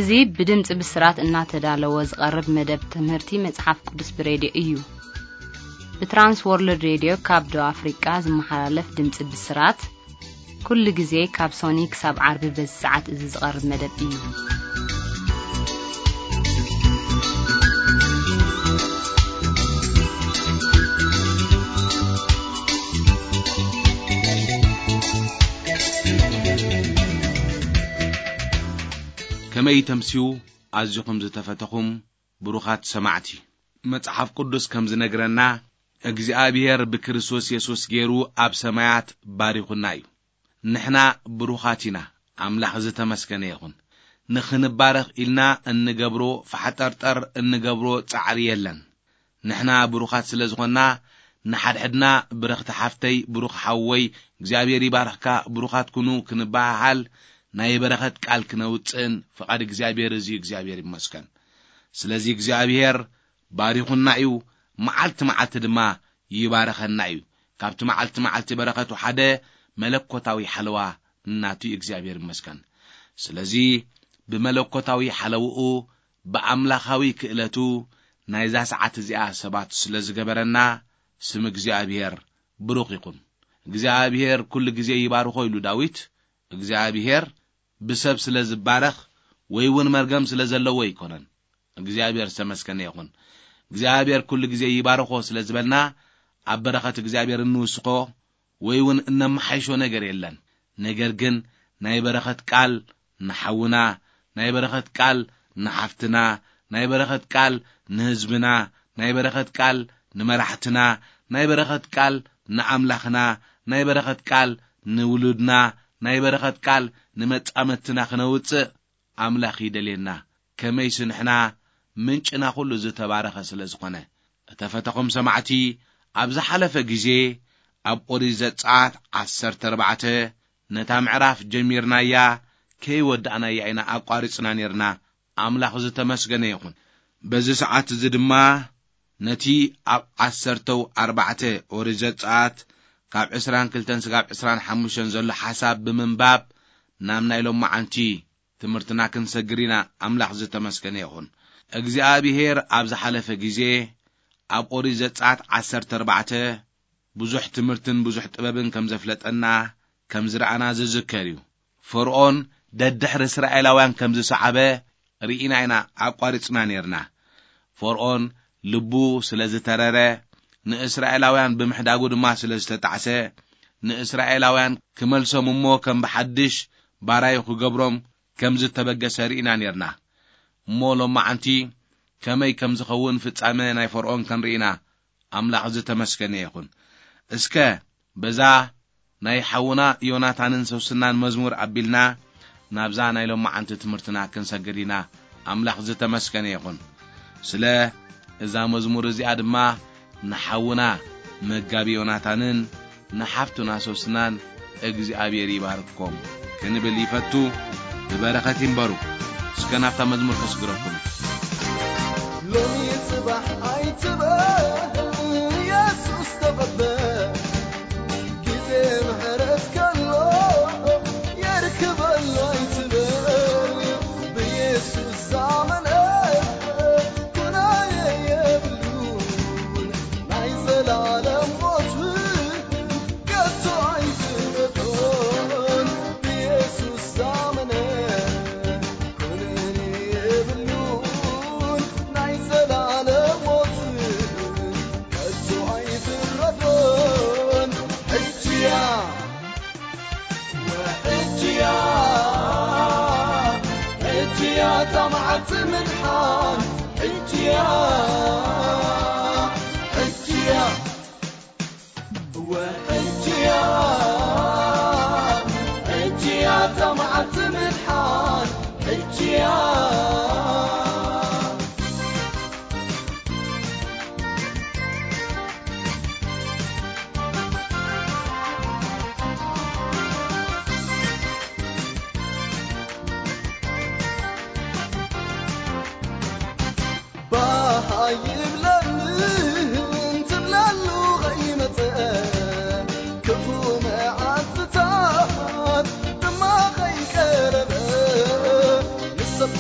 እዚ ብድምፂ ብስራት እናተዳለወ ዝቐርብ መደብ ትምህርቲ መፅሓፍ ቅዱስ ብሬድዮ እዩ። ብትራንስ ወርልድ ሬድዮ ካብ ደቡብ ኣፍሪቃ ዝመሓላለፍ ድምፂ ብስራት፣ ኩሉ ግዜ ካብ ሶኒ ክሳብ ዓርቢ በዚ ሰዓት እዚ ዝቐርብ መደብ እዩ። ከመይ ተምስዩ ኣዚኹም ዝተፈተኹም ብሩኻት ሰማዕቲ። መጽሓፍ ቅዱስ ከም ዝነግረና፣ እግዚኣብሔር ብክርስቶስ የሱስ ገይሩ ኣብ ሰማያት ባሪኹና እዩ። ንሕና ብሩኻት ኢና። ኣምላኽ ዝተመስገነ ይኹን። ንኽንባረኽ ኢልና እንገብሮ ፋሕጠርጠር እንገብሮ ጻዕሪ የለን። ንሕና ብሩኻት ስለ ዝኾንና፣ ንሓድሕድና ብረኽቲ ሓፍተይ፣ ብሩኽ ሓወይ፣ እግዚኣብሔር ይባርኽካ፣ ብሩኻት ኩኑ ክንበሃሃል፣ ናይ በረኸት ቃል ክነውጽእን ፍቓድ እግዚኣብሔር እዚ እዩ። እግዚኣብሔር ይመስገን። ስለዚ እግዚኣብሔር ባሪኹና እዩ፣ መዓልቲ መዓልቲ ድማ ይባርኸና እዩ። ካብቲ መዓልቲ መዓልቲ በረኸቱ ሓደ መለኮታዊ ሓለዋ ናቱ እዩ። እግዚኣብሔር ይመስገን። ስለዚ ብመለኮታዊ ሓለውኡ፣ ብኣምላኻዊ ክእለቱ ናይዛ ሰዓት እዚኣ ሰባት ስለ ዝገበረና ስም እግዚኣብሔር ብሩኽ ይኹን። እግዚኣብሔር ኩሉ ግዜ ይባርኾ ኢሉ ዳዊት። እግዚኣብሔር ብሰብ ስለ ዝባረኽ ወይ እውን መርገም ስለ ዘለዎ ኣይኮነን። እግዚኣብሔር ዝተመስገነ ይኹን። እግዚኣብሔር ኩሉ ግዜ ይባርኾ ስለ ዝበልና ኣብ በረኸት እግዚኣብሔር እንውስኾ ወይ እውን እነመሓይሾ ነገር የለን። ነገር ግን ናይ በረኸት ቃል ንሓውና፣ ናይ በረኸት ቃል ንሓፍትና፣ ናይ በረኸት ቃል ንህዝብና፣ ናይ በረኸት ቃል ንመራሕትና፣ ናይ በረኸት ቃል ንኣምላኽና፣ ናይ በረኸት ቃል ንውሉድና፣ ናይ በረኸት ቃል ንመጻምድትና ክነውጽእ ኣምላኽ ይደልየና። ከመይሲ ንሕና ምንጭና ኩሉ ዝተባረኸ ስለ ዝኾነ። እተፈተኹም ሰማዕቲ፣ ኣብ ዝሓለፈ ግዜ ኣብ ኦሪት ዘጸኣት ዓሰርተ ኣርባዕተ ነታ ምዕራፍ ጀሚርናያ ከይወዳእናያ ኢና ኣቋሪጽና ኔርና። ኣምላኽ ዝተመስገነ ይኹን። በዚ ሰዓት እዚ ድማ ነቲ ኣብ ዓሰርተው ኣርባዕተ ኦሪት ዘጸኣት ካብ ዕስራን ክልተን ስጋብ ዕስራን ሓሙሽተን ዘሎ ሓሳብ ብምንባብ ናብ ናይ ሎማዓንቲ ትምህርትና ክንሰግር ኢና። ኣምላኽ ዝተመስገነ ይኹን። እግዚኣብሔር ኣብ ዝሓለፈ ግዜ ኣብ ኦሪት ዘጸኣት ዓሰርተ ኣርባዕተ ብዙሕ ትምህርትን ብዙሕ ጥበብን ከም ዘፍለጠና ከም ዝረኣና ዝዝከር እዩ። ፈርኦን ደድሕሪ እስራኤላውያን ከም ዝሰዓበ ርኢና ኢና ኣቋሪጽና ኔርና። ፈርኦን ልቡ ስለ ዝተረረ፣ ንእስራኤላውያን ብምሕዳጉ ድማ ስለ ዝተጣዕሰ፣ ንእስራኤላውያን ክመልሶም እሞ ከም ብሓድሽ ባራዩ ክገብሮም ከም ዝተበገሰ ርኢና ኔርና። እሞ ሎማዓንቲ ከመይ ከም ዝኸውን ፍጻመ ናይ ፈርኦን ክንርኢ ኢና። ኣምላኽ ዝተመስገነ ይኹን። እስከ በዛ ናይ ሓውና ዮናታንን ሶስናን መዝሙር ኣቢልና ናብዛ ናይ ሎማዓንቲ ትምህርትና ክንሰግር ኢና። ኣምላኽ ዝተመስገነ ይኹን። ስለ እዛ መዝሙር እዚኣ ድማ ንሓውና መጋቢ ዮናታንን ንሓፍቱና ሶስናን እግዚኣብሔር ይባርኮም ክንብል ይፈቱ። ብበረኸት ይንበሩ። እስከ ናብታ መዝሙር ከስግረኩም። ሎሚ ጽባሕ ኣይትበል፣ የሱስ ተቐበል። ግዜ ምሕረት ከሎ የርክበሉ ኣይትበል። ብየሱስ ዝኣመነ ኩናየ የብሉን፣ ናይ ዘላለም ሞት ከቶ ኣይፍረዶን። ብየሱስ ዝኣመነ ኩነኔ የብሉን፣ ናይ ዘላለም ሞት ከቶ ኣይፍረዶን። ሕጂ እያ፣ ሕጂ እያ፣ ሕጂ እያ እታ መዓልቲ ምድሓን። ሕጂ እያ፣ ሕጂ እያ። ሕጂ እያ፣ ሕጂ እያ እታ መዓልቲ ምድሓን፣ ሕጂ እያ። ባህ ኣይብለኒ እንትብለሉ ኸይመጸ፣ ክፉ መዓልትታት ድማ ኸይቀረበ፣ ንሰብ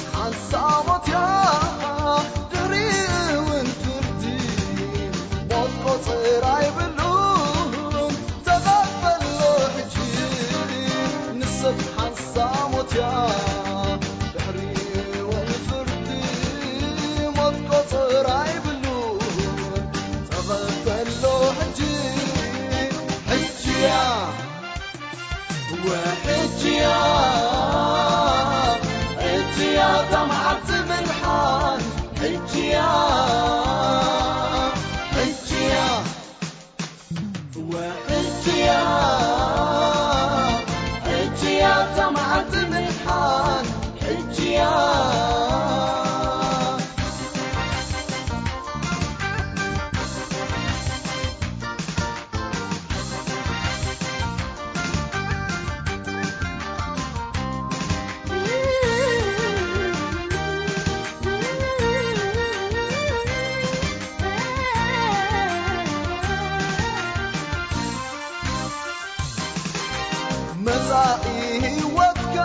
ህይወትካ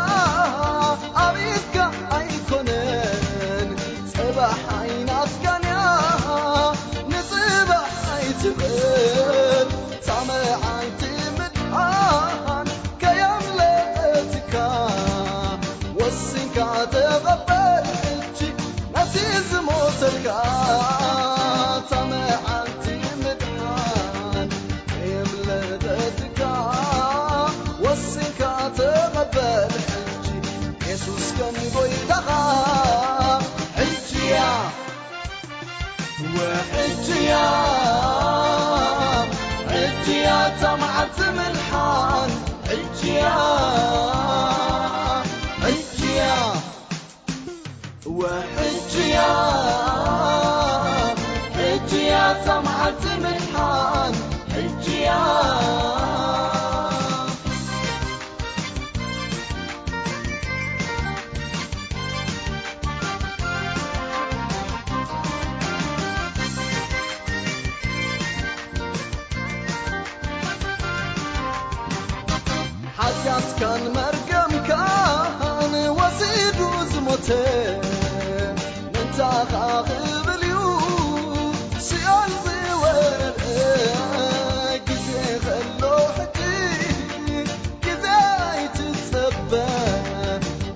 ኣብ ኢድካ ኣይኮነን፣ ጽባሕ ኣይናትካን እያ፣ ንጽባሕ ኣይትበል። እታ መዓልቲ ምድሓን ከየምለጠትካ፣ ወሲንካ ተቐበል ሕጂ ነቲ ዝሞተልካ። እታ መዓልቲ ምድሓን ከየምለጠትካ፣ ወሲንካ ተቐበል ሕጂ የሱስ ከም ጎይታኻ። ሕጂ እያ፣ ወሕጂ እያ፣ ሕጂ እያ እታ መዓልቲ ምድሓን። ሕጂ እያ፣ ሕጂ እያ፣ ወሕጂ እያ፣ ሕጂ እያ እታ መዓልቲ ምድሓን። ሕጂ እያ። ሓጢኣትካን መርገምካን ወሲዱ ዝሞተ፣ ምንታኻ ክብል እዩ ሲኦል ዝወረደ። ግዜ ከሎ ሕጂ፣ ግዜ ኣይትጸበ፣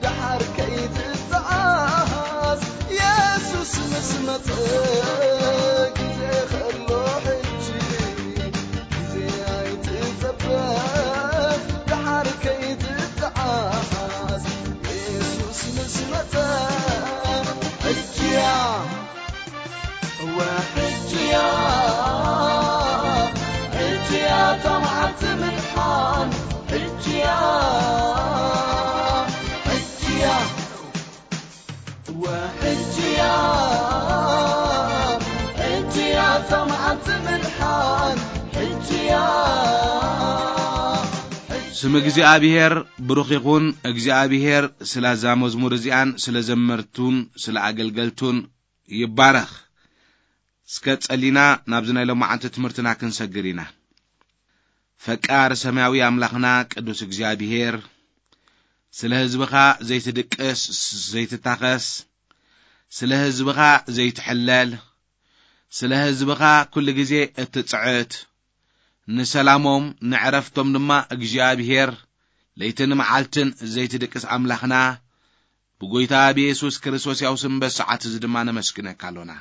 ደሓር ከይትተዓስ፣ የሱስ ምስ መጸ። ግዜ ከሎ ሕጂ፣ ግዜ ኣይትጸበ፣ ደሓር ከይትተዓስ፣ የሱስ ምስ መጸ። ሕጂ እያ፣ እወ ሕጂ እያ፣ ሕጂ እያ እታ መዓልቲ ምድሓን። ሕጂ እያ፣ ሕጂ እያ፣ እወ ሕጂ እያ፣ ሕጂ እያ እታ መዓልቲ ምድሓን። ሕጂ እያ። ስም እግዚኣብሔር ብሩኽ ይኹን። እግዚኣብሔር ስለ እዛ መዝሙር እዚኣን ስለ ዘመርቱን ስለ ኣገልገልቱን ይባረኽ። እስከ ጸሊና ናብዚ ናይ ሎማዓንቲ ትምህርትና ክንሰግር ኢና። ፈቃር ሰማያዊ ኣምላኽና ቅዱስ እግዚኣብሔር፣ ስለ ህዝብኻ ዘይትድቅስ ዘይትታኸስ፣ ስለ ህዝብኻ ዘይትሕለል፣ ስለ ህዝብኻ ኩሉ ግዜ እትጽዕት፣ ንሰላሞም ንዕረፍቶም ድማ እግዚኣብሔር ለይትን መዓልትን ዘይትድቅስ ኣምላኽና፣ ብጎይታ ብየሱስ ክርስቶስ ያው ስም በሰዓት እዚ ድማ ነመስግነካ ኣሎና።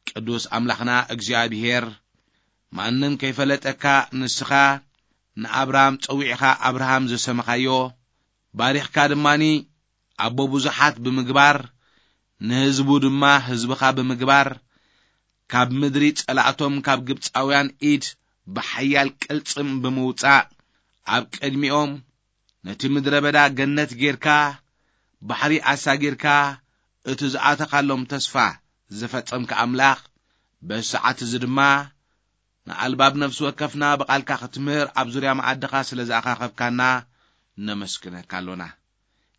ቅዱስ ኣምላኽና እግዚኣብሔር፣ ማንም ከይፈለጠካ ንስኻ ንኣብርሃም ጸዊዕኻ ኣብርሃም ዝሰመኻዮ፣ ባሪኽካ ድማኒ ኣቦ ብዙሓት ብምግባር፣ ንህዝቡ ድማ ህዝብኻ ብምግባር፣ ካብ ምድሪ ጸላእቶም ካብ ግብጻውያን ኢድ ብሓያል ቅልጽም ብምውጻእ፣ ኣብ ቅድሚኦም ነቲ ምድረ በዳ ገነት ጌርካ፣ ባሕሪ ኣሳጊርካ፣ እቲ ዝኣተኻሎም ተስፋ ዝፈጸምካ ኣምላኽ፣ በዚ ሰዓት እዚ ድማ ንኣልባብ ነፍሲ ወከፍና ብቓልካ ክትምህር ኣብ ዙርያ መኣድኻ ስለ ዝኣኻኸብካና ነመስግነካ ኣሎና።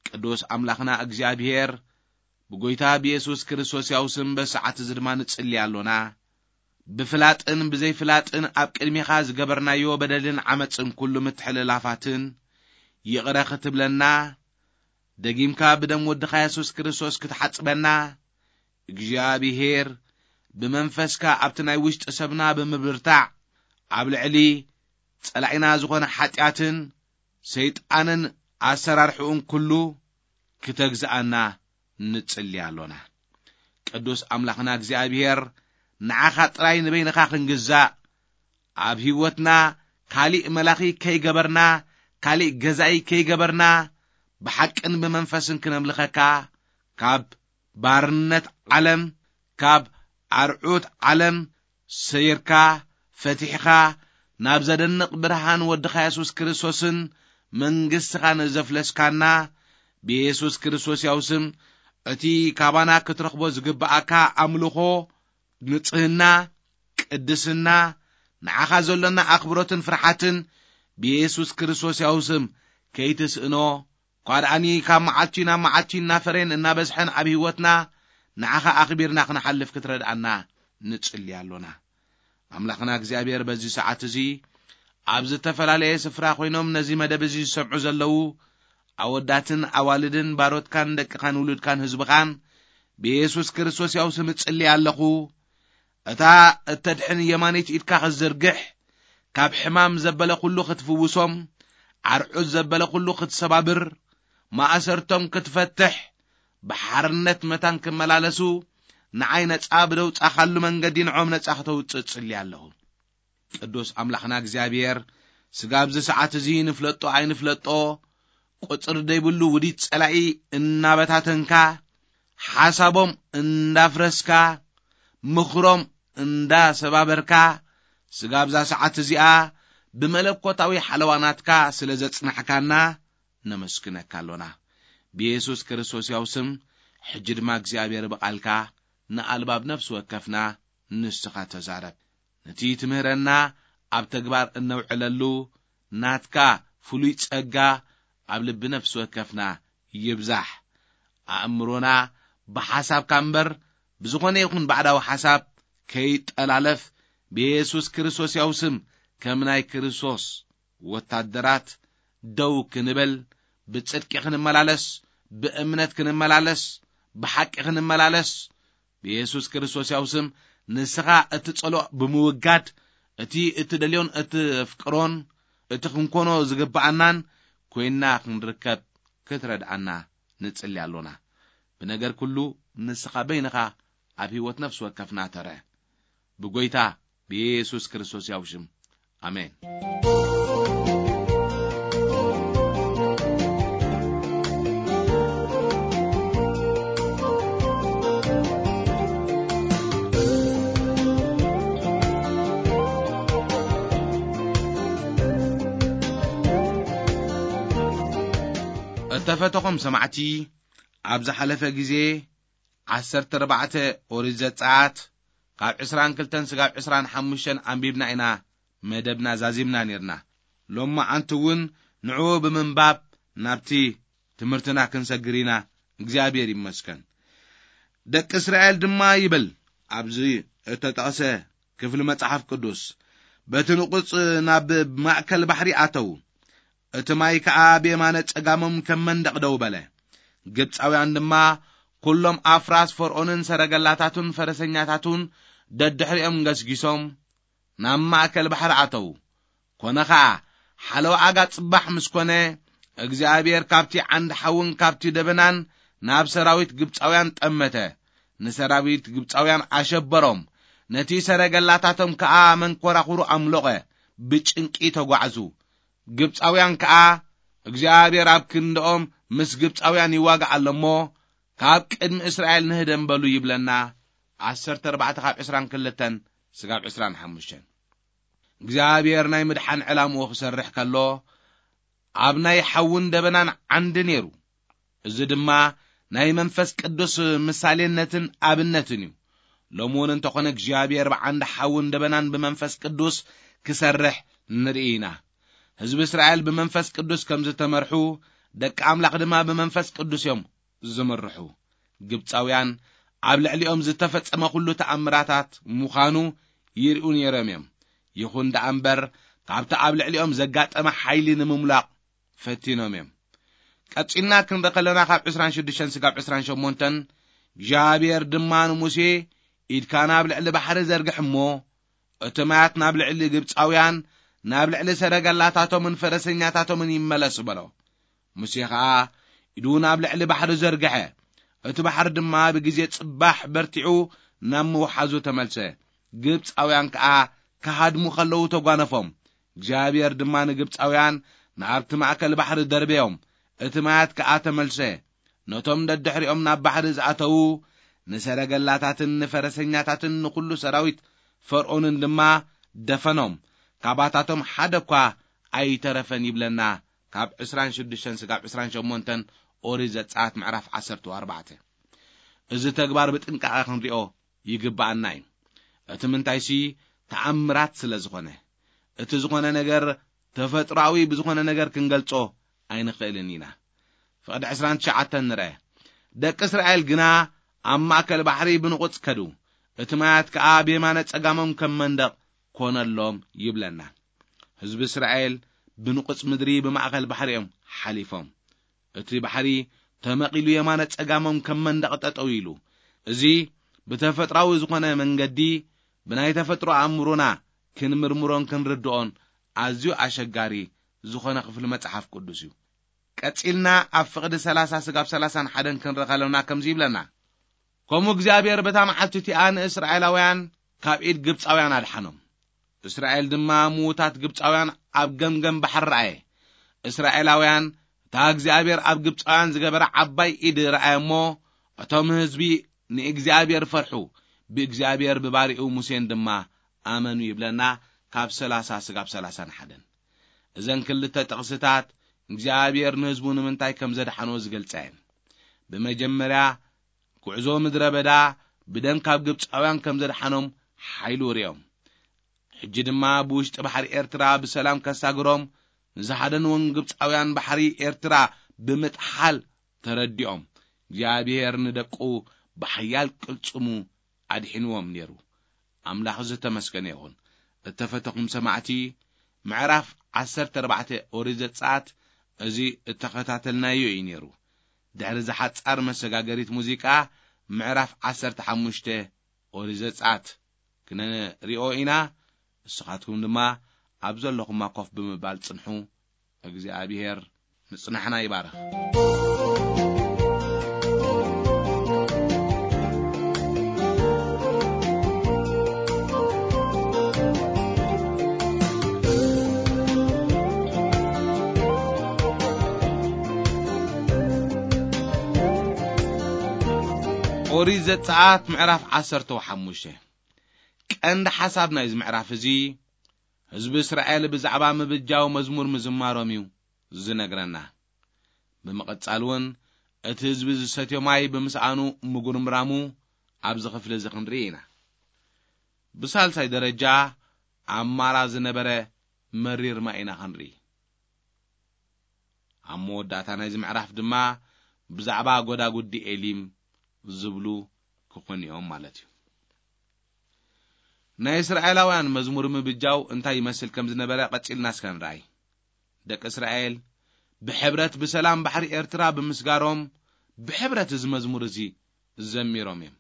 ቅዱስ ኣምላኽና እግዚኣብሔር፣ ብጎይታ ብየሱስ ክርስቶስ ያው ስም በዚ ሰዓት እዚ ድማ ንጽሊ ኣሎና። ብፍላጥን ብዘይፍላጥን ኣብ ቅድሜኻ ዝገበርናዮ በደልን ዓመጽን ኩሉ ምትሕልላፋትን ይቕረ ክትብለና፣ ደጊምካ ብደም ወድኻ የሱስ ክርስቶስ ክትሓጽበና፣ እግዚኣብሔር ብመንፈስካ ኣብቲ ናይ ውሽጢ ሰብና ብምብርታዕ፣ ኣብ ልዕሊ ጸላኢና ዝኾነ ሓጢኣትን ሰይጣንን ኣሰራርሕኡን ኩሉ ክተግዝኣና ንጽሊ ኣሎና። ቅዱስ ኣምላኽና እግዚኣብሔር፣ ንዓኻ ጥራይ ንበይንኻ ክንግዛእ፣ ኣብ ህይወትና ካሊእ መላኺ ከይገበርና፣ ካሊእ ገዛኢ ከይገበርና፣ ብሓቅን ብመንፈስን ክነምልኸካ፣ ካብ ባርነት ዓለም፣ ካብ ኣርዑት ዓለም ሰይርካ፣ ፈቲሕኻ፣ ናብ ዘደንቕ ብርሃን ወድኻ የሱስ ክርስቶስን መንግስትኻ ንዘፍለስካና፣ ብየሱስ ክርስቶስ ያው ስም፣ እቲ ካባና ክትረኽቦ ዝግብኣካ ኣምልኾ፣ ንጽህና፣ ቅድስና፣ ንዓኻ ዘሎና ኣኽብሮትን ፍርሓትን ብየሱስ ክርስቶስ ያው ስም ከይትስእኖ፣ እኳ ደኣኒ ካብ መዓልቲ ናብ መዓልቲ እናፈረየን እናበዝሐን ኣብ ህይወትና ንዓኻ ኣኽቢርና ክንሓልፍ ክትረድኣና ንጽሊ ኣሎና። ኣምላኽና እግዚኣብሔር በዚ ሰዓት እዚ ኣብ ዝተፈላለየ ስፍራ ኮይኖም ነዚ መደብ እዚ ዝሰምዑ ዘለዉ ኣወዳትን ኣዋልድን፣ ባሮትካን ደቅኻን ውሉድካን ህዝብኻን ብየሱስ ክርስቶስ ያው ስም እጽሊ ኣለኹ። እታ እተድሕን የማነይቲ ኢድካ ክትዝርግሕ፣ ካብ ሕማም ዘበለ ኩሉ ክትፍውሶም፣ ዓርዑት ዘበለ ኩሉ ክትሰባብር፣ ማእሰርቶም ክትፈትሕ፣ ብሓርነት መታን ክመላለሱ፣ ንዓይ ነጻ ብደውጻኻሉ መንገዲ ንዖም ነጻ ክተውጽእ እጽሊ ኣለኹ። ቅዱስ ኣምላኽና እግዚኣብሔር፣ ስጋ ኣብዚ ሰዓት እዚ ንፍለጦ ኣይንፍለጦ፣ ቁጽሪ ዘይብሉ ውዲት ጸላኢ እናበታተንካ፣ ሓሳቦም እንዳፍረስካ፣ ምኽሮም እንዳሰባበርካ፣ ስጋ ኣብዛ ሰዓት እዚኣ ብመለኮታዊ ሓለዋ ናትካ ስለ ዘጽናሕካና ነመስግነካ ኣሎና። ብየሱስ ክርስቶስ ያው ስም፣ ሕጂ ድማ እግዚኣብሔር ብቓልካ ንኣልባብ ነፍሲ ወከፍና ንስኻ ተዛረብ። ነቲ ትምህረና ኣብ ተግባር እነውዕለሉ ናትካ ፍሉይ ጸጋ ኣብ ልቢ ነፍሲ ወከፍና ይብዛሕ። ኣእምሮና ብሓሳብካ እምበር ብዝኾነ ይኹን ባዕዳዊ ሓሳብ ከይጠላለፍ፣ ብየሱስ ክርስቶስ ያው ስም ከም ናይ ክርስቶስ ወታደራት ደው ክንብል፣ ብጽድቂ ክንመላለስ፣ ብእምነት ክንመላለስ፣ ብሓቂ ክንመላለስ፣ ብየሱስ ክርስቶስ ያው ስም ንስኻ እትጸልኦ ብምውጋድ፣ እቲ እትደልዮን እትፍቅሮን እቲ ክንኮኖ ዝግብኣናን ኮይንና ክንርከብ ክትረድኣና ንጽሊ ኣሎና። ብነገር ኩሉ ንስኻ በይንኻ ኣብ ህይወት ነፍሲ ወከፍና ተረ። ብጎይታ ብየሱስ ክርስቶስ ያው ሽም፣ ኣሜን። እተፈተኹም ሰማዕቲ፣ ኣብ ዝሓለፈ ግዜ ዓሰርተ ኣርባዕተ ኦሪት ዘጸኣት ካብ ዕስራን ክልተን ስጋብ ዕስራን ሓሙሽተን ኣንቢብና ኢና መደብና ዛዚምና ኔርና። ሎማዓንቲ እውን ንዕኡ ብምንባብ ናብቲ ትምህርትና ክንሰግር ኢና። እግዚኣብሔር ይመስገን። ደቂ እስራኤል ድማ ይብል ኣብዚ እተጠቕሰ ክፍሊ መጽሓፍ ቅዱስ፣ በቲ ንቑጽ ናብ ማእከል ባሕሪ ኣተዉ። እቲ ማይ ከኣ ብየማነ ጸጋሞም ከም መንደቕ ደው በለ። ግብጻውያን ድማ ኩሎም ኣፍራስ ፈርዖንን ሰረገላታቱን ፈረሰኛታቱን ደድሕሪኦም ገስጊሶም ናብ ማእከል ባሕሪ ኣተዉ። ኮነ ኸኣ፣ ሓለዋ ኣጋ ጽባሕ ምስ ኮነ፣ እግዚኣብሔር ካብቲ ዓንዲ ሓውን ካብቲ ደበናን ናብ ሰራዊት ግብጻውያን ጠመተ። ንሰራዊት ግብጻውያን ኣሸበሮም። ነቲ ሰረገላታቶም ከኣ መንኮራኹሩ ኣምሎቐ፣ ብጭንቂ ተጓዕዙ። ግብጻውያን ከኣ፣ እግዚኣብሔር ኣብ ክንድኦም ምስ ግብጻውያን ይዋጋእ ኣሎ እሞ፣ ካብ ቅድሚ እስራኤል ንህደም በሉ ይብለና። ዓሰርተ ኣርባዕተ ካብ ዕስራን ክልተን ስጋብ ዕስራን ሓሙሽተን። እግዚኣብሔር ናይ ምድሓን ዕላምኡ ክሰርሕ ከሎ፣ ኣብ ናይ ሓውን ደበናን ዓንዲ ነይሩ። እዚ ድማ ናይ መንፈስ ቅዱስ ምሳሌነትን ኣብነትን እዩ። ሎሚ እውን እንተኾነ እግዚኣብሔር ብዓንዲ ሓውን ደበናን ብመንፈስ ቅዱስ ክሰርሕ ንርኢ ኢና። ህዝቢ እስራኤል ብመንፈስ ቅዱስ ከም ዝተመርሑ፣ ደቂ ኣምላኽ ድማ ብመንፈስ ቅዱስ እዮም ዝምርሑ። ግብጻውያን ኣብ ልዕሊኦም ዝተፈጸመ ኩሉ ተኣምራታት ምዃኑ ይርእዩ ነይሮም እዮም። ይኹን ደኣ እምበር፣ ካብቲ ኣብ ልዕሊኦም ዘጋጠመ ሓይሊ ንምምላቕ ፈቲኖም እዮም። ቀጺልና ክንርኢ ከለና፣ ካብ ዕስራን ሽዱሽተን ስጋብ ዕስራን ሸሞንተን፣ እግዚኣብሔር ድማ ንሙሴ፣ "ኢድካ ናብ ልዕሊ ባሕሪ ዘርግሕ እሞ፣ እቲ ማያት ናብ ልዕሊ ግብጻውያን፣ ናብ ልዕሊ ሰረገላታቶምን ፈረሰኛታቶምን ይመለስ" በሎ። ሙሴ ኸኣ ኢዱ ናብ ልዕሊ ባሕሪ ዘርግሐ። እቲ ባሕሪ ድማ ብግዜ ጽባሕ በርቲዑ ናብ ምውሓዙ ተመልሰ። ግብጻውያን ከኣ ክሃድሙ ከለዉ ተጓነፎም። እግዚኣብሔር ድማ ንግብጻውያን ናብቲ ማእከል ባሕሪ ደርበዮም። እቲ ማያት ከኣ ተመልሰ። ነቶም ደድሕሪኦም ናብ ባሕሪ ዝኣተዉ ንሰረገላታትን ንፈረሰኛታትን ንኹሉ ሰራዊት ፈርዖንን ድማ ደፈኖም። ካባታቶም ሓደ እኳ ኣይተረፈን ይብለና፣ ካብ ዕስራን ሽዱሽተን ስጋብ ዕስራን ሸሞንተን ኦሪት ዘጸኣት ምዕራፍ ዓሰርተ ኣርባዕተ። እዚ ተግባር ብጥንቃቐ ክንሪኦ ይግብኣና እዩ። እቲ ምንታይሲ ተኣምራት ስለ ዝኾነ። እቲ ዝኾነ ነገር ተፈጥሮኣዊ ብዝኾነ ነገር ክንገልጾ ኣይንኽእልን ኢና። ፍቕዲ ዕስራን ትሽዓተን ንርአ። ደቂ እስራኤል ግና ኣብ ማእከል ባሕሪ ብንቑጽ ከዱ። እቲ ማያት ከኣ ብየማነ ጸጋሞም ከም መንደቕ ኮነሎም ይብለና። ህዝቢ እስራኤል ብንቑጽ ምድሪ ብማእከል ባሕሪ እዮም ሓሊፎም። እቲ ባሕሪ ተመቒሉ የማነ ጸጋሞም ከም መንደቕ ጠጠው ኢሉ። እዚ ብተፈጥሮኣዊ ዝኾነ መንገዲ ብናይ ተፈጥሮ ኣእምሮና ክንምርምሮን ክንርድኦን ኣዝዩ ኣሸጋሪ ዝኾነ ክፍሊ መጽሓፍ ቅዱስ እዩ። ቀጺልና ኣብ ፍቕዲ ሰላሳ ስጋብ ሰላሳን ሓደን ክንረኸለና ከምዚ ይብለና፣ ከምኡ እግዚኣብሔር በታ መዓልቲ እቲኣ ንእስራኤላውያን ካብ ኢድ ግብጻውያን ኣድሓኖም። እስራኤል ድማ ምዉታት ግብጻውያን ኣብ ገምገም ባሕሪ ረኣየ። እስራኤላውያን እታ እግዚኣብሔር ኣብ ግብጻውያን ዝገበረ ዓባይ ኢድ ረኣየ እሞ፣ እቶም ህዝቢ ንእግዚኣብሔር ፈርሑ፣ ብእግዚኣብሔር ብባሪኡ ሙሴን ድማ ኣመኑ ይብለና፣ ካብ ሰላሳ ስጋብ ሰላሳን ሓደን። እዘን ክልተ ጥቕስታት እግዚኣብሔር ንህዝቡ ንምንታይ ከም ዘድሓኖ ዝገልጻ እየን። ብመጀመርያ፣ ጉዕዞ ምድረ በዳ ብደም ካብ ግብጻውያን ከም ዘድሓኖም ሓይሉ ርእዮም። ሕጂ ድማ ብውሽጢ ባሕሪ ኤርትራ ብሰላም ከሳግሮም ንዝሓደንዎም ግብጻውያን ባሕሪ ኤርትራ ብምጥሓል ተረዲኦም። እግዚኣብሔር ንደቁ ብሓያል ቅልጽሙ ኣድሒንዎም ነይሩ። ኣምላኽ ዝተመስገነ ይኹን። እተፈተኹም ሰማዕቲ፣ ምዕራፍ ዓሰርተ ኣርባዕተ ኦሪት ዘጸኣት እዚ እተኸታተልናዮ እዩ ነይሩ። ድሕሪ ዝሓጻር መሰጋገሪት ሙዚቃ፣ ምዕራፍ ዓሰርተ ሓሙሽተ ኦሪት ዘጸኣት ክነሪኦ ኢና። ንስኻትኩም ድማ ኣብ ዘለኹማ ኮፍ ብምባል ጽንሑ። እግዚኣብሔር ምጽናሕና ይባርኽ። ኦሪት ዘጸኣት ምዕራፍ ዓሰርተ ሓሙሽተ። ቀንዲ ሓሳብ ናይዚ ምዕራፍ እዚ፣ ህዝቢ እስራኤል ብዛዕባ ምብጃው መዝሙር ምዝማሮም እዩ ዝነግረና። ብምቕጻል እውን፣ እቲ ህዝቢ ዝሰትዮ ማይ ብምስኣኑ ምጉርምራሙ ኣብዚ ክፍሊ እዚ ክንርኢ ኢና። ብሳልሳይ ደረጃ፣ ኣብ ማራ ዝነበረ መሪር ማይ ኢና ክንርኢ። ኣብ መወዳእታ ናይዚ ምዕራፍ ድማ ብዛዕባ ጎዳጉዲ ኤሊም ዝብሉ ክኾኑ እዮም ማለት እዩ። ናይ እስራኤላውያን መዝሙር ምብጃው እንታይ ይመስል ከም ዝነበረ ቀጺልና እስከ ንርኣይ። ደቂ እስራኤል ብሕብረት ብሰላም ባሕሪ ኤርትራ ብምስጋሮም፣ ብሕብረት እዚ መዝሙር እዚ ዘሚሮም እዮም።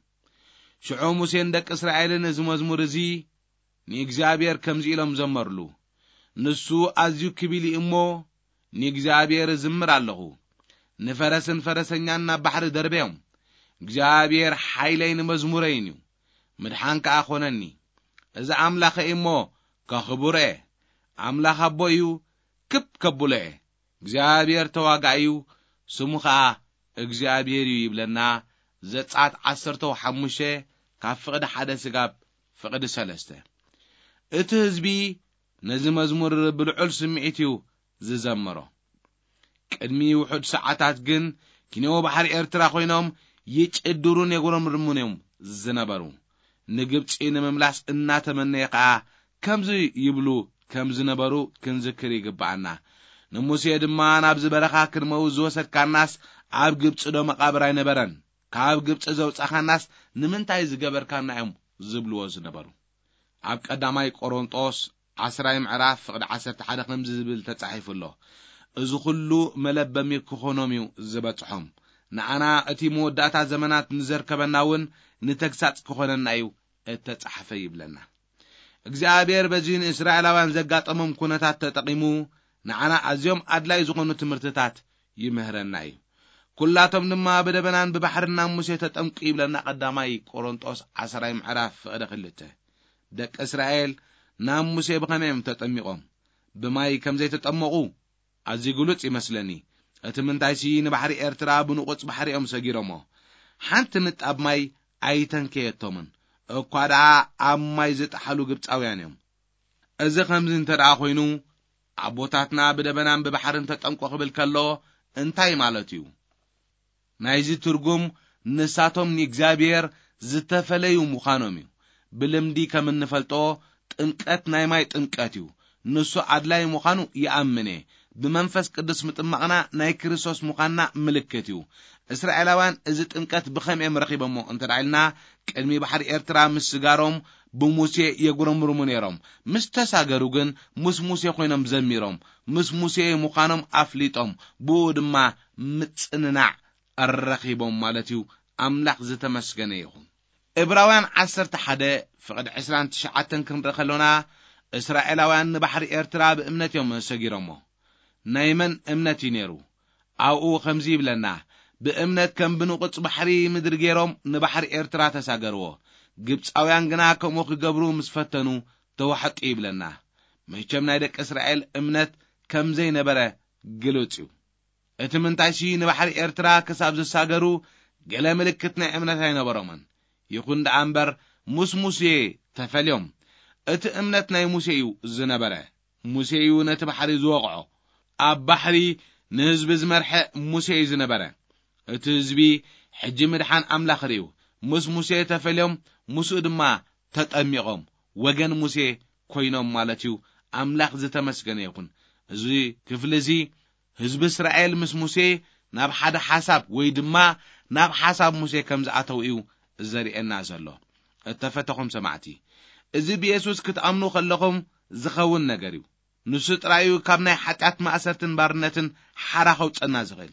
ሽዑ ሙሴን ደቂ እስራኤልን እዚ መዝሙር እዚ ንእግዚኣብሔር ከምዚ ኢሎም ዘመርሉ፣ ንሱ ኣዝዩ ክቢል እዩ እሞ፣ ንእግዚኣብሔር እዝምር ኣለኹ። ንፈረስን ፈረሰኛን ናብ ባሕሪ ደርበዮም። እግዚኣብሔር ሓይለይን መዝሙረይን እዩ፣ ምድሓን ከኣ ኾነኒ። እዚ ኣምላኸይ እሞ ከኽብሮ እየ። ኣምላኽ ኣቦ እዩ፣ ክብ ከብሎ እየ። እግዚኣብሔር ተዋጋኢ እዩ፣ ስሙ ኸኣ እግዚኣብሔር እዩ ይብለና። ዘጸኣት ዓሰርተ ሓሙሽተ ካብ ፍቕዲ ሓደ ስጋብ ፍቕዲ ሰለስተ። እቲ ህዝቢ ነዚ መዝሙር ብልዑል ስምዒት እዩ ዝዘምሮ። ቅድሚ ውሑድ ሰዓታት ግን ኪንዮ ባሕሪ ኤርትራ ኮይኖም ይጭድሩን የጉረምርሙን እዮም ዝነበሩ። ንግብጺ ንምምላስ እናተመነየ ከኣ ከምዚ ይብሉ ከም ዝነበሩ ክንዝክር ይግብኣና። ንሙሴ ድማ ናብዚ በረኻ ክንመውት ዝወሰድካናስ ኣብ ግብጺ ዶ መቓብር ኣይነበረን? ካብ ግብጺ ዘውጻኻናስ ንምንታይ ዝገበርካና እዮም ዝብልዎ ዝነበሩ። ኣብ ቀዳማይ ቆሮንጦስ ዓስራይ ምዕራፍ ፍቕዲ ዓሰርተ ሓደ ከምዚ ዝብል ተጻሒፉ ኣሎ። እዚ ኹሉ መለበሚ ክኾኖም እዩ ዝበጽሖም። ንዓና እቲ መወዳእታ ዘመናት ንዘርከበና እውን ንተግሳጽ ክኾነና እዩ እተጻሕፈ ይብለና። እግዚኣብሔር በዚ ንእስራኤላውያን ዘጋጠሞም ኩነታት ተጠቒሙ ንዓና ኣዝዮም ኣድላይ ዝኾኑ ትምህርትታት ይምህረና እዩ። ኩላቶም ድማ ብደበናን ብባሕርን ናብ ሙሴ ተጠምቁ ይብለና ቀዳማይ ቆሮንጦስ ዓስራይ ምዕራፍ ፍቕዲ ክልተ። ደቂ እስራኤል ናብ ሙሴ ብኸመይ እዮም ተጠሚቖም? ብማይ ከም ዘይተጠመቑ ኣዝዩ ግሉጽ ይመስለኒ። እቲ ምንታይሲ ንባሕሪ ኤርትራ ብንቑጽ ባሕሪ እዮም ሰጊሮሞ። ሓንቲ ንጣብ ማይ ኣይተንከየቶምን። እኳ ደኣ ኣብ ማይ ዝጠሓሉ ግብጻውያን እዮም። እዚ ከምዚ እንተ ደኣ ኮይኑ፣ ኣቦታትና ብደበናን ብባሕርን ተጠምቆ ክብል ከሎ እንታይ ማለት እዩ? ናይዚ ትርጉም ንሳቶም ንእግዚኣብሔር ዝተፈለዩ ምዃኖም እዩ። ብልምዲ ከም እንፈልጦ ጥምቀት ናይ ማይ ጥምቀት እዩ። ንሱ ኣድላይ ምዃኑ ይኣምን እየ። ብመንፈስ ቅዱስ ምጥማቕና ናይ ክርስቶስ ምዃንና ምልክት እዩ። እስራኤላውያን እዚ ጥምቀት ብኸም እዮም ረኺቦሞ እንተ ደኣ ኢልና፣ ቅድሚ ባሕሪ ኤርትራ ምስጋሮም ብሙሴ የጉረምርሙ ነይሮም። ምስ ተሳገሩ ግን ምስ ሙሴ ኮይኖም ዘሚሮም፣ ምስ ሙሴ ምዃኖም ኣፍሊጦም፣ ብኡ ድማ ምጽንናዕ ረኺቦም ማለት እዩ። ኣምላኽ ዝተመስገነ ይኹን። ዕብራውያን ዓሰርተ ሓደ ፍቕዲ ዕስራን ትሽዓተን ክንርኢ ከሎና፣ እስራኤላውያን ንባሕሪ ኤርትራ ብእምነት እዮም ሰጊሮሞ። ናይ መን እምነት እዩ ነይሩ? ኣብኡ ከምዚ ይብለና፣ ብእምነት ከም ብንቑጽ ባሕሪ ምድሪ ገይሮም ንባሕሪ ኤርትራ ተሳገርዎ። ግብጻውያን ግና ከምኡ ክገብሩ ምስ ፈተኑ ተዋሕጡ ይብለና። መቸም ናይ ደቂ እስራኤል እምነት ከም ዘይነበረ ግሉጽ እዩ። እቲ ምንታይሲ ንባሕሪ ኤርትራ ክሳብ ዝሳገሩ ገለ ምልክት ናይ እምነት ኣይነበሮምን። ይኹን ደኣ እምበር ምስ ሙሴ ተፈልዮም። እቲ እምነት ናይ ሙሴ እዩ ዝነበረ። ሙሴ እዩ ነቲ ባሕሪ ዝወቕዖ። ኣብ ባሕሪ ንህዝቢ ዝመርሐ ሙሴ እዩ ዝነበረ። እቲ ህዝቢ ሕጂ ምድሓን ኣምላኽ ርእዩ። ምስ ሙሴ ተፈልዮም፣ ምስኡ ድማ ተጠሚቖም፣ ወገን ሙሴ ኮይኖም ማለት እዩ። ኣምላኽ ዝተመስገነ ይኹን። እዚ ክፍሊ እዚ ህዝቢ እስራኤል ምስ ሙሴ ናብ ሓደ ሓሳብ ወይ ድማ ናብ ሓሳብ ሙሴ ከም ዝኣተው እዩ ዘርእየና ዘሎ። እተፈተኹም ሰማዕቲ፣ እዚ ብየሱስ ክትኣምኑ ከለኹም ዝኸውን ነገር እዩ። ንሱ ጥራይ እዩ ካብ ናይ ሓጢኣት ማእሰርትን ባርነትን ሓራ ከውጸና ዝኽእል።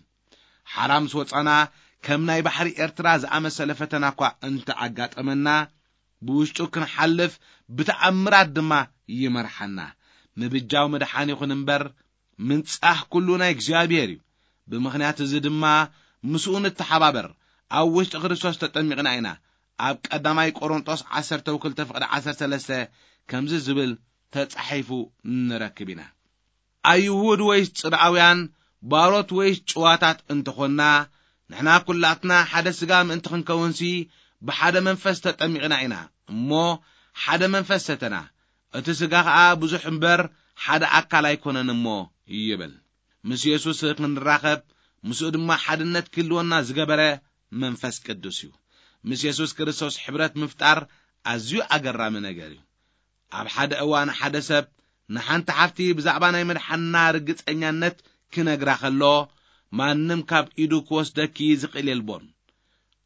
ሓራ ምስ ወጻና፣ ከም ናይ ባሕሪ ኤርትራ ዝኣመሰለ ፈተና እኳ እንተኣጋጠመና፣ ብውሽጡ ክንሓልፍ ብተኣምራት ድማ ይመርሓና። ምብጃው ምድሓን ይኹን እምበር፣ ምንጻህ ኩሉ ናይ እግዚኣብሔር እዩ። ብምኽንያት እዚ ድማ ምስኡ ንተሓባበር። ኣብ ውሽጢ ክርስቶስ ተጠሚቕና ኢና። ኣብ ቀዳማይ ቆሮንጦስ ዓሰርተ ክልተ ፍቕዲ ዓሰርተ ሰለስተ ከምዚ ዝብል ተጻሒፉ ንረክብ ኢና። ኣይሁድ ወይስ ጽርኣውያን፣ ባሮት ወይስ ጭዋታት እንተኾንና፣ ንሕና ኩላትና ሓደ ስጋ ምእንቲ ክንከውንሲ ብሓደ መንፈስ ተጠሚቕና ኢና እሞ፣ ሓደ መንፈስ ሰተና። እቲ ስጋ ኸኣ ብዙሕ እምበር ሓደ ኣካል ኣይኮነን እሞ ይብል። ምስ የሱስ ክንራኸብ፣ ምስኡ ድማ ሓድነት ክህልወና ዝገበረ መንፈስ ቅዱስ እዩ። ምስ የሱስ ክርስቶስ ሕብረት ምፍጣር ኣዝዩ ኣገራሚ ነገር እዩ። ኣብ ሓደ እዋን ሓደ ሰብ ንሓንቲ ሓፍቲ ብዛዕባ ናይ መድሓንና ርግጸኛነት ክነግራ ከሎ፣ ማንም ካብ ኢዱ ክወስደኪ ዝኽእል የልቦን።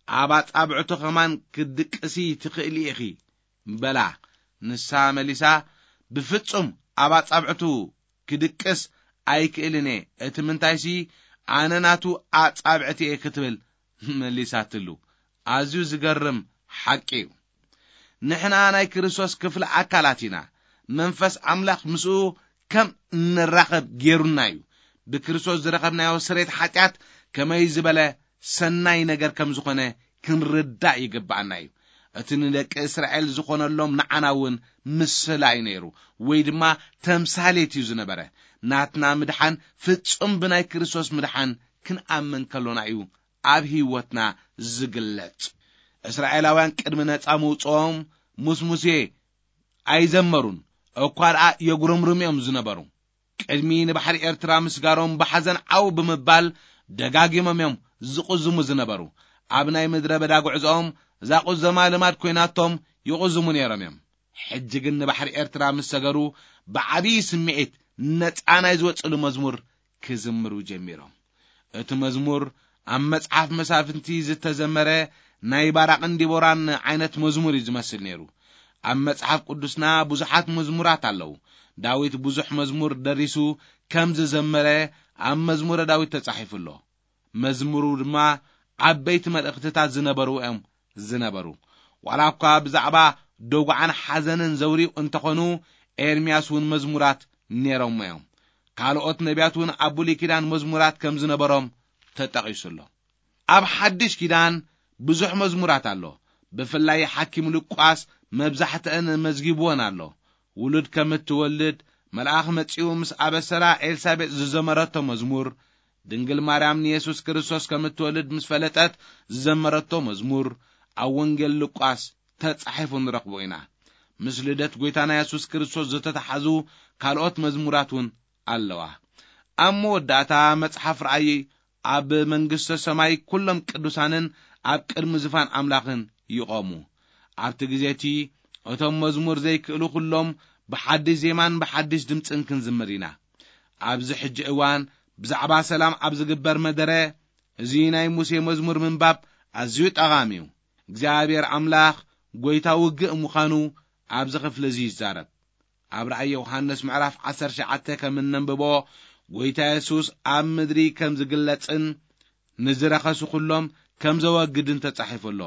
ኣብ ኣጻብዕቱ ኸማን ክትድቅሲ ትኽእሊ ኢኺ በላ። ንሳ መሊሳ፣ ብፍጹም ኣብ ኣጻብዕቱ ክድቅስ ኣይክእልን እየ፣ እቲ ምንታይሲ ኣነ ናቱ ኣጻብዕቲ እየ ክትብል መሊሳትሉ። ኣዝዩ ዝገርም ሓቂ እዩ። ንሕና ናይ ክርስቶስ ክፍሊ ኣካላት ኢና። መንፈስ ኣምላኽ ምስኡ ከም እንራኸብ ገይሩና እዩ። ብክርስቶስ ዝረኸብናዮ ስሬት ሓጢኣት ከመይ ዝበለ ሰናይ ነገር ከም ዝኾነ ክንርዳእ ይግብኣና እዩ። እቲ ንደቂ እስራኤል ዝኾነሎም ንዓና እውን ምስላ እዩ ነይሩ፣ ወይ ድማ ተምሳሌት እዩ ዝነበረ። ናትና ምድሓን ፍጹም ብናይ ክርስቶስ ምድሓን ክንኣምን ከሎና እዩ ኣብ ህይወትና ዝግለጽ። እስራኤላውያን ቅድሚ ነጻ ምውጽኦም ምስ ሙሴ ኣይዘመሩን፣ እኳ ደኣ የጉረምርሙ እዮም ዝነበሩ። ቅድሚ ንባሕሪ ኤርትራ ምስጋሮም ብሓዘን ዓው ብምባል ደጋጊሞም እዮም ዝቕዝሙ ዝነበሩ። ኣብ ናይ ምድረ በዳ ጉዕዞኦም እዛ ቁዘማ ልማድ ኮይናቶም ይቕዝሙ ነይሮም እዮም። ሕጂ ግን ንባሕሪ ኤርትራ ምስ ሰገሩ ብዓብዪ ስምዒት ነጻ ናይ ዝወጽሉ መዝሙር ክዝምሩ ጀሚሮም። እቲ መዝሙር ኣብ መጽሓፍ መሳፍንቲ ዝተዘመረ ናይ ባራቕን ዲቦራን ዓይነት መዝሙር እዩ ዝመስል ነይሩ። ኣብ መጽሓፍ ቅዱስና ብዙሓት መዝሙራት ኣለዉ። ዳዊት ብዙሕ መዝሙር ደሪሱ ከም ዝዘመረ ኣብ መዝሙረ ዳዊት ተጻሒፉ ኣሎ። መዝሙሩ ድማ ዓበይቲ መልእኽትታት ዝነበሩ እዮም ዝነበሩ። ዋላ እኳ ብዛዕባ ደጉዓን ሓዘንን ዘውርዩ እንተኾኑ፣ ኤርምያስ እውን መዝሙራት ነይሮም እዮም። ካልኦት ነቢያት እውን ኣብ ብሉይ ኪዳን መዝሙራት ከም ዝነበሮም ተጠቒሱ ኣሎ። ኣብ ሓድሽ ኪዳን ብዙሕ መዝሙራት ኣሎ። ብፍላይ ሓኪም ሉቃስ መብዛሕትአን መዝጊብወን ኣሎ። ውሉድ ከም እትወልድ መልኣኽ መጺኡ ምስ ኣበሰራ ኤልሳቤጥ ዝዘመረቶ መዝሙር፣ ድንግል ማርያም ንየሱስ ክርስቶስ ከም እትወልድ ምስ ፈለጠት ዝዘመረቶ መዝሙር ኣብ ወንጌል ሉቃስ ተጻሒፉ ንረኽቦ ኢና። ምስ ልደት ጐይታና የሱስ ክርስቶስ ዝተተሓዙ ካልኦት መዝሙራት እውን ኣለዋ። ኣብ መወዳእታ መጽሓፍ ራእይ ኣብ መንግስተ ሰማይ ኩሎም ቅዱሳንን ኣብ ቅድሚ ዝፋን ኣምላኽን ይቖሙ። ኣብቲ ግዜ እቲ እቶም መዝሙር ዘይክእሉ ኩሎም ብሓድሽ ዜማን ብሓድሽ ድምጽን ክንዝምር ኢና። ኣብዚ ሕጂ እዋን ብዛዕባ ሰላም ኣብ ዝግበር መደረ፣ እዚ ናይ ሙሴ መዝሙር ምንባብ ኣዝዩ ጠቓሚ እዩ። እግዚኣብሔር ኣምላኽ ጐይታ ውግእ ምዃኑ ኣብዚ ክፍሊ እዚ ይዛረብ። ኣብ ራእይ ዮሃንስ ምዕራፍ ዓሰርተ ትሽዓተ ከም እነንብቦ፣ ጐይታ የሱስ ኣብ ምድሪ ከም ዝግለጽን ንዝረኸሱ ኩሎም ከም ዘወግድን ተጻሒፉ ኣሎ።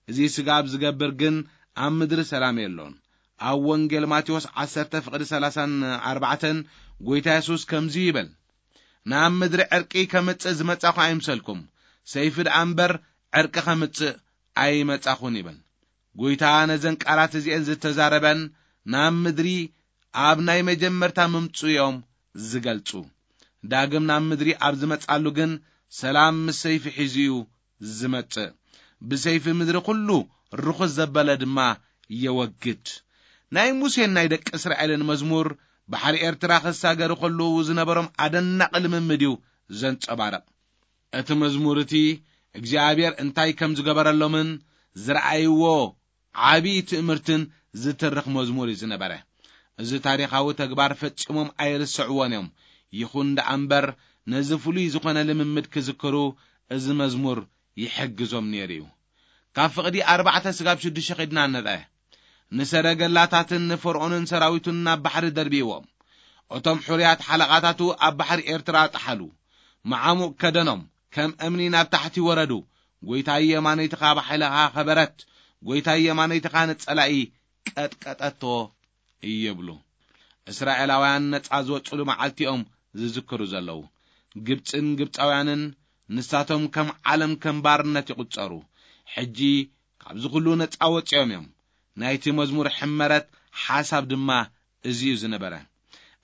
እዚ ስጋብ ዝገብር ግን ኣብ ምድሪ ሰላም የሎን። ኣብ ወንጌል ማቴዎስ ዓሰርተ ፍቕዲ ሰላሳን ኣርባዕተን ጐይታ የሱስ ከምዚ ይብል፣ "ናብ ምድሪ ዕርቂ ከምጽእ ዝመጻኹ ኣይምሰልኩም፣ ሰይፊ ደኣ እምበር ዕርቂ ከምጽእ ኣይመጻኹን" ይብል። ጐይታ ነዘን ቃላት እዚኤን ዝተዛረበን ናብ ምድሪ ኣብ ናይ መጀመርታ ምምጽኡ እዮም ዝገልጹ። ዳግም ናብ ምድሪ ኣብ ዝመጻሉ ግን ሰላም ምስ ሰይፊ ሒዙ እዩ ዝመጽእ። ብሰይፊ ምድሪ ኩሉ ርኹስ ዘበለ ድማ የወግድ። ናይ ሙሴን ናይ ደቂ እስራኤልን መዝሙር ባሕሪ ኤርትራ ክሳገሩ ከለዉ ዝነበሮም ኣደናቂ ልምምድ እዩ ዘንጸባርቕ። እቲ መዝሙር እቲ እግዚኣብሔር እንታይ ከም ዝገበረሎምን ዝረኣይዎ ዓቢ ትእምርትን ዝትርኽ መዝሙር እዩ ዝነበረ። እዚ ታሪኻዊ ተግባር ፈጺሞም ኣይርስዕዎን እዮም። ይኹን ደኣ እምበር፣ ነዚ ፍሉይ ዝኾነ ልምምድ ክዝክሩ እዚ መዝሙር ይሕግዞም ነይሩ እዩ። ካብ ፍቕዲ ኣርባዕተ ስጋብ ሽዱሽተ ኺድና ንርአ። ንሰረገላታትን ንፈርዖንን ሰራዊቱን ናብ ባሕሪ ደርብይዎም። እቶም ሕሩያት ሓለቓታቱ ኣብ ባሕሪ ኤርትራ ጠሓሉ። መዓሙቕ ከደኖም፣ ከም እምኒ ናብ ታሕቲ ወረዱ። "ጐይታይ የማነይትኻ ብሓይልኻ ኸበረት፣ ጐይታይ የማነይትኻ ንጸላኢ ቀጥቀጠቶ" ይብሉ። እስራኤላውያን ነጻ ዝወጹሉ መዓልቲ እዮም ዝዝክሩ ዘለዉ። ግብጽን ግብጻውያንን ንሳቶም ከም ዓለም ከም ባርነት ይቑጸሩ። ሕጂ ካብዚ ኩሉ ነጻ ወጺኦም እዮም። ናይቲ መዝሙር ሕመረት ሓሳብ ድማ እዚ እዩ ዝነበረ።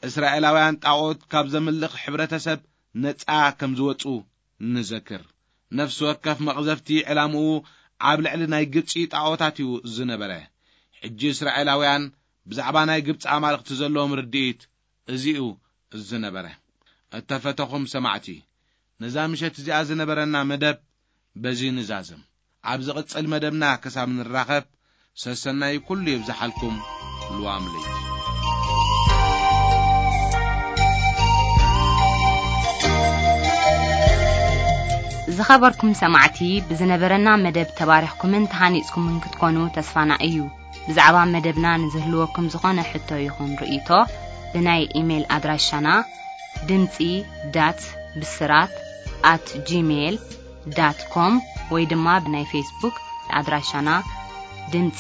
እስራኤላውያን ጣዖት ካብ ዘምልኽ ሕብረተሰብ ነጻ ከም ዝወጹ ንዘክር። ነፍሲ ወከፍ መቕዘፍቲ ዕላምኡ ኣብ ልዕሊ ናይ ግብጺ ጣዖታት እዩ ዝነበረ። ሕጂ እስራኤላውያን ብዛዕባ ናይ ግብጺ ኣማልኽቲ ዘለዎም ርድኢት እዚ እዩ ዝነበረ። እተፈተኹም ሰማዕቲ፣ ነዛ ምሸት እዚኣ ዝነበረና መደብ በዚ ንዛዝም። ኣብ ዝቕጽል መደብና ክሳብ ንራኸብ፣ ሰሰናዩ ኩሉ ይብዝሓልኩም። ልዋም ለይቲ። ዝኸበርኩም ሰማዕቲ፣ ብዝነበረና መደብ ተባሪኽኩምን ተሃኒጽኩምን ክትኮኑ ተስፋና እዩ። ብዛዕባ መደብና ንዝህልወኩም ዝኾነ ሕቶ ይኹን ርእይቶ፣ ብናይ ኢሜይል ኣድራሻና ድምጺ ዳት ብስራት ኣት ጂሜይል ዳት ኮም ወይ ድማ ብናይ ፌስቡክ ኣድራሻና ድምጺ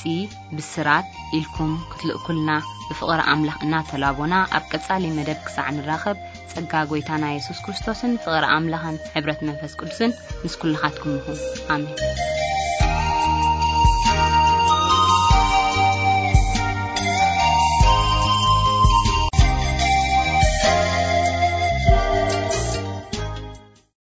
ብስራት ኢልኩም ክትልእኩልና ብፍቕሪ ኣምላኽ እናተላቦና፣ ኣብ ቀጻሊ መደብ ክሳዕ ንራኸብ ጸጋ ጐይታና የሱስ ክርስቶስን ፍቕሪ ኣምላኽን ሕብረት መንፈስ ቅዱስን ምስ ኩልኻትኩም ይኹን። ኣሜን።